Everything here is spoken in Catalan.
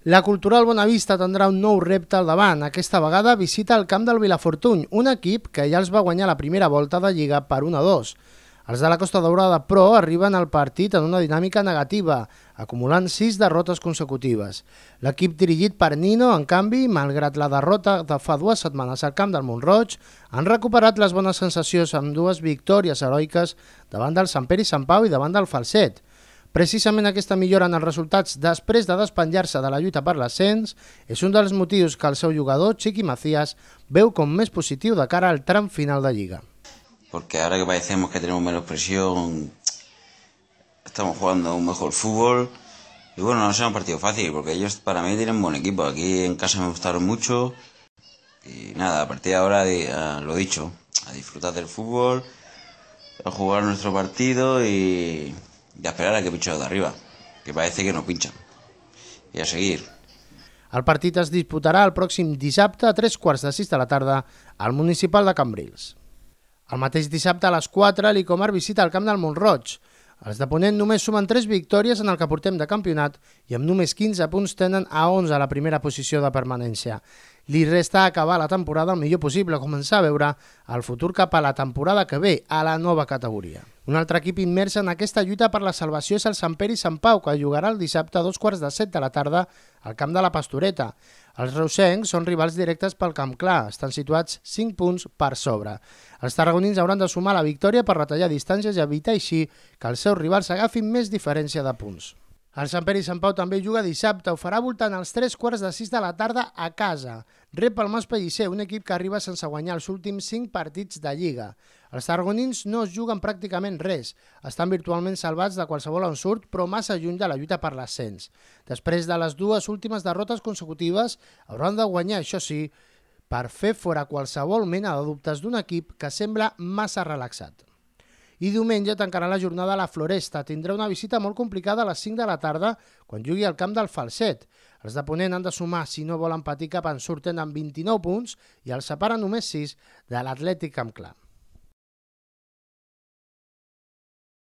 La Cultural Bonavista tindrà un nou repte al davant. Aquesta vegada visita el camp del Vilafortuny, un equip que ja els va guanyar la primera volta de Lliga per 1-2. Els de la Costa Daurada, però, arriben al partit en una dinàmica negativa, acumulant 6 derrotes consecutives. L'equip dirigit per Nino, en canvi, malgrat la derrota de fa 2 setmanes al camp del Mont-roig, han recuperat les bones sensacions amb 2 victòries heroiques davant del Sant Pere i Sant Pau i davant del Falset. Precisament aquesta millora en els resultats després de despenjar-se de la lluita per l'ascens és un dels motius que el seu jugador, Chiqui Macías, veu com més positiu de cara al tram final de Lliga. Porque ahora que parecemos que tenemos menos presión, estamos jugando un mejor fútbol y bueno, no será un partido fácil porque ellos para mí tienen buen equipo. Aquí en casa me gustaron mucho y nada, a partir de ahora, lo dicho, a disfrutar del fútbol, a jugar nuestro partido y a esperar a que pinchen de arriba, que parece que no pinchan, y a seguir. El partit es disputarà el pròxim dissabte a 3:15 de la tarda al municipal de Cambrils. El mateix dissabte a les 4 l'Icomar visita el camp del Mont-roig. Els de Ponent només sumen 3 victòries en el que portem de campionat i amb només 15 punts tenen a 11 a la primera posició de permanència. Li resta acabar la temporada el millor possible, començar a veure el futur cap a la temporada que ve, a la nova categoria. Un altre equip immers en aquesta lluita per la salvació és el Sant Pere i Sant Pau, que jugarà el dissabte a 7:15 de la tarda al camp de la Pastoreta. Els reusencs són rivals directes pel Camp Clar, estan situats 5 punts per sobre. Els tarragonins hauran de sumar la victòria per retallar distàncies i evitar així que els seus rivals agafin més diferència de punts. El Sant Pere i Sant Pau també juga dissabte, ho farà voltant als 3:15 de la tarda a casa. Rep el Mas Pellicer, un equip que arriba sense guanyar els últims 5 partits de Lliga. Els tarragonins no es juguen pràcticament res, estan virtualment salvats de qualsevol ensurt, però massa lluny de la lluita per l'ascens. Després de les 2 últimes derrotes consecutives, hauran de guanyar, això sí, per fer fora qualsevol mena de dubtes d'un equip que sembla massa relaxat. I diumenge tancarà la jornada a la Floresta. Tindrà una visita molt complicada a les 5 de la tarda quan jugui al camp del Falset. Els de Ponent han de sumar si no volen patir cap ensurt, tenen 29 punts i els separen només 6 de l'Atlètic Camp Clar.